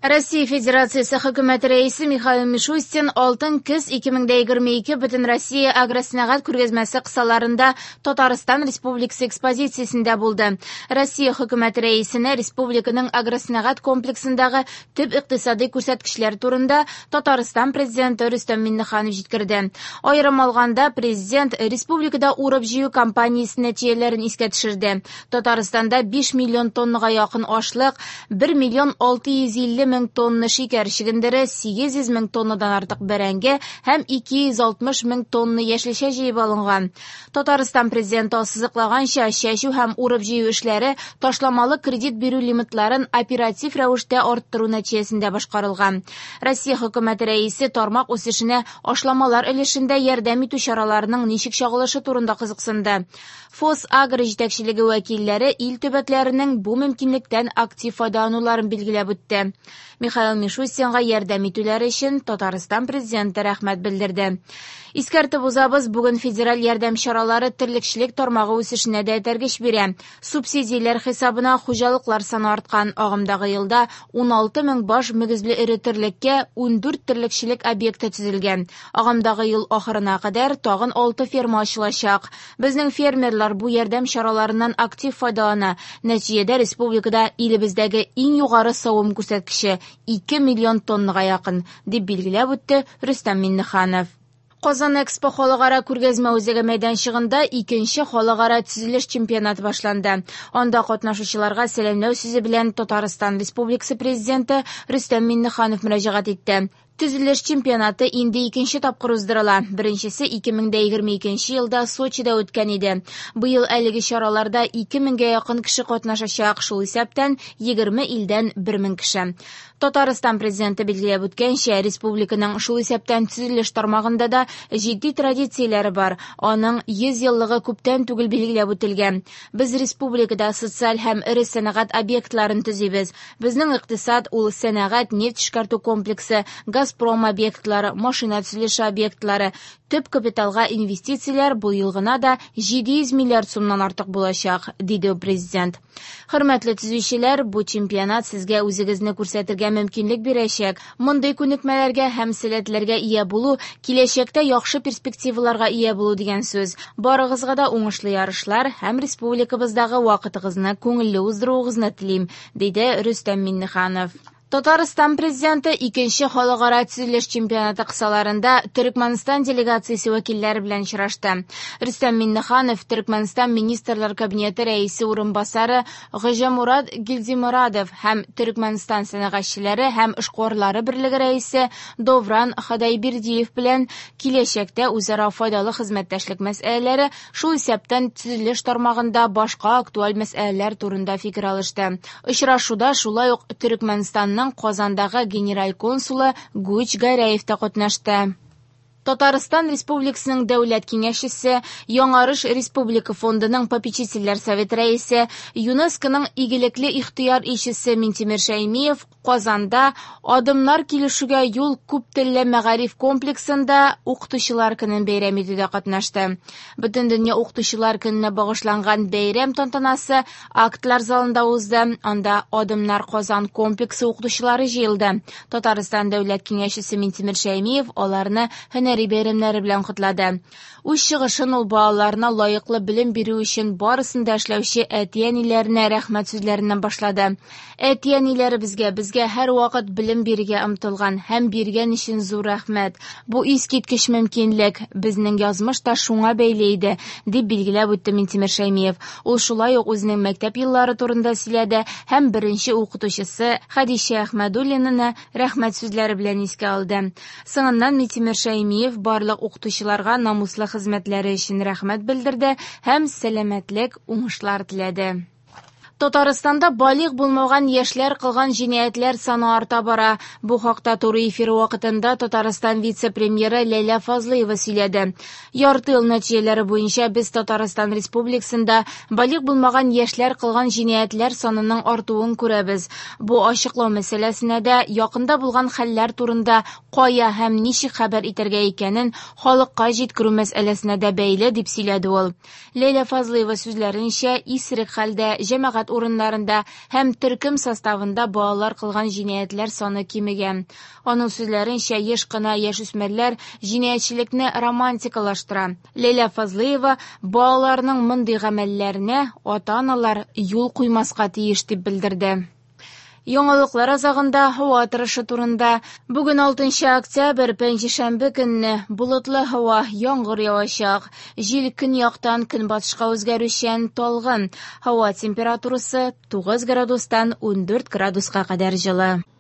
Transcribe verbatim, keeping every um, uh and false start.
Россия Федерациясе Хөкүмәте Рәисе Михаил Мишустин «Алтын көз ике мең егерме ике» Бөтенроссия агросәнәгать күргәзмәсе кысаларында Татарстан Республикасы экспозициясендә булды. Россия Хөкүмәте Рәисенә республиканың агросәнәгать комплексындагы төп икътисади күрсәткечләр турында Татарстан Президенты Рөстәм Миңнеханов җиткерде. Аерым алганда, Президент республикада урып-җыю кампаниясе нәтиҗәләрен искә төшерде. Татарстанда биш миллион тоннага якын ашлык, бер миллион алты йөз илле мең тонна шикәр чөгендере, сигез йөз мең тоннадан артык бәрәңге һәм ике йөз алтмыш мең тонна яшелчә җыеп алынган. Татарстан Президенты ассызыклаганча, чәчү һәм урып-җыю эшләре ташламалы кредит бирү лимитларын оператив рәвештә арттыру нәтиҗәсендә башкарылган. Россия Хөкүмәте Рәисе тармак үсешенә ашламалар өлешендә ярдәм итү чараларының ничек чагылышы турында кызыксынды. ФосАгро җитәкчелеге вәкилләре ил төбәкләренең бу мөмкинлектән актив файдалануларын билгеләп үтте. Михаил Мишустинга ярдәм итүләре өчен Татарстан Президенты рәхмәт белдерде. Искәртеп узабыз, бүген федераль ярдәм чаралары терлекчелек тармагы үсешенә дә этәргеч бирә. Субсидияләр хисабына хуҗалыклар саны арткан. Агымдагы елда ун алты мең баш мөгезле эре терлеккә ун дүрт терлекчелек объекты төзелгән. Агымдагы ел ахырына кадәр тагын алты ферма ачылачак. Безнең фермерлар бу ярдәм чараларыннан актив файдалана. Нәтиҗәдә республикада илебездәге иң югары савым күрсәткече ике миллион тоннага якын, дип билгеләп үтте Рөстәм Миңнеханов. Казан Экспо халыкара күргәзмә үзәге мәйданчыгында икенче халыкара төзелеш чемпионаты башланды. Анда катнашучыларга сәламләү сүзе белән Татарстан Республикасы Президенты Рөстәм Миңнеханов мөрәҗәгать итте. Төзелеш чемпионаты инде икенче тапкыр уздырыла. Беренчесе ике мең дә егерме икенче елда Сочида үткән иде. Быел әлеге чараларда ике меңгә якын кеше катнашачак, шул исәптән егерме илдән бер мең кеше. Татарстан Президенты билгеләп үткәнчә, республиканың шул исәптән төзелеш тармагында да җитди традицияләре бар. Аның йөз еллыгы күптән түгел билгеләп үтелгән. Без республикада социаль һәм эре сәнәгать объектларын төзибез. Безнең икътисад ул сәнәгать, нефть эшкәртү комплексы, Газпром объектлары, машина төзелеше объектлары. Төп капиталга инвестицияләр бу ел гына да җиде йөз миллиард сумнан артык булачак, диде президент. Хөрмәтле төзүчеләр, бу чемпионат сезгә үзегезне күрсәтергә мөмкинлек бирәчәк. Мондый күнекмәләргә һәм сәләтләргә ия булу киләчәктә яхшы перспективаларга ия булу дигән сүз. Барыгызга да уңышлы ярышлар һәм республикабыздагы вакытыгызны күңелле уздыруыгызны телим, диде Рөстәм Миңнеханов. Татарстан Президенты икенче халыкара төзелеш чемпионаты кысаларында Төркмәнстан делегациясе вәкилләре белән очрашты. Рөстәм Миңнеханов Төркмәнстан Министрлар Кабинеты рәисе урынбасары Гыҗамурат Гилдимурадов һәм Төркмәнстан сәнәгатьчеләре һәм эшкуарлары берлеге рәисе Довран Хадайбирдиев белән киләчәктә үзара файдалы хезмәттәшлек мәсьәләләре, шул исәптән төзелеш тармагында башка актуаль мәсьәләләр турында фикер алышты. Очрашуда шулай ук Төркмәнстанның Казандагы генераль консулы Гуч Гәрәев та катнашты. Татарстан Республикасының Дәүләт Киңәшчесе, Яңарыш Республика Фондының попечительләр советы рәисе, ЮНЕСКОның игелекле ихтыяр илчесе Минтимер Шәймиев Казанда Адымнар килешүгә юл күп телле мәгариф комплексында Укытучылар көнен бәйрәм итүдә катнашты. Бөтендөнья Укытучылар көненә багышланган бәйрәм тантанасы актлар залында узды. Анда Адымнар Казан комплексы укытучылары җыелды. Татарстан Дәүләт Киңәшчесе Минтимер Шәймиев аларны һөнәри бәйрәмнәре белән котлады. Үз чыгышын ул балаларына лаеклы белем бирү өчен барысын да эшләүче әти-әниләренә рәхмәт сүзләреннән башлады. Әти-әниләребезгә, безгә һәр вакыт белем бирергә омтылган һәм биргән өчен зур рәхмәт. Бу искиткеч мөмкинлек, безнең язмыш та шуңа бәйле иде, дип билгеләп үтте Минтимер Шәймиев. Ул шулай ук үзенең мәктәп еллары турында сөйләде һәм беренче укытучысы Хәдичә Әхмәдуллинаны рәхмәт сүзләре белән искә алды. Соңыннан Минтимер Шәймиев барлык укытучыларга намуслы хезмәтләре өчен рәхмәт белдерде һәм сәламәтлек, уңышлар теләде. Татарстанда балигъ булмаган яшьләр кылган җинаятьләр саны арта бара. Бу хакта туры эфир вакытында Татарстан вице-премьеры Ләйлә Фазлыева сөйләде. Ярты ел нәтиҗәләре буенча без Татарстан Республикасында балигъ булмаган яшьләр кылган җинаятьләр санының артуын күрәбез. Бу ачыклау мәсьәләсенә дә якында булган хәлләр турында кая һәм ничек хәбәр итәргә икәнен халыкка җиткерү мәсьәләсенә дә бәйле, дип сөйләде ул. Ләйлә Фазлыева сүзләренчә, исерек хәлдә җәмәгать Җәмәгать урыннарында һәм төркем составында балалар кылган җинаятьләр саны кимегән. Аның сүзләренчә, еш кына яшүсмерләр җинаятьчелекне романтикалаштыра. Ләйлә Фазлыева балаларның мондый гамәлләренә ата-аналар юл куймаска тиеш дип белдерде. Яңалыклар азагында һава торышы турында. Бүген алтынчы октябрь, пәнҗешәмбе көнне болытлы һава, яңгыр явачак. Җил көньяктан көнбатышка үзгәрүчән, талгын. Һава температурасы тугыз градустан ундүрт градуска кадәр җылы.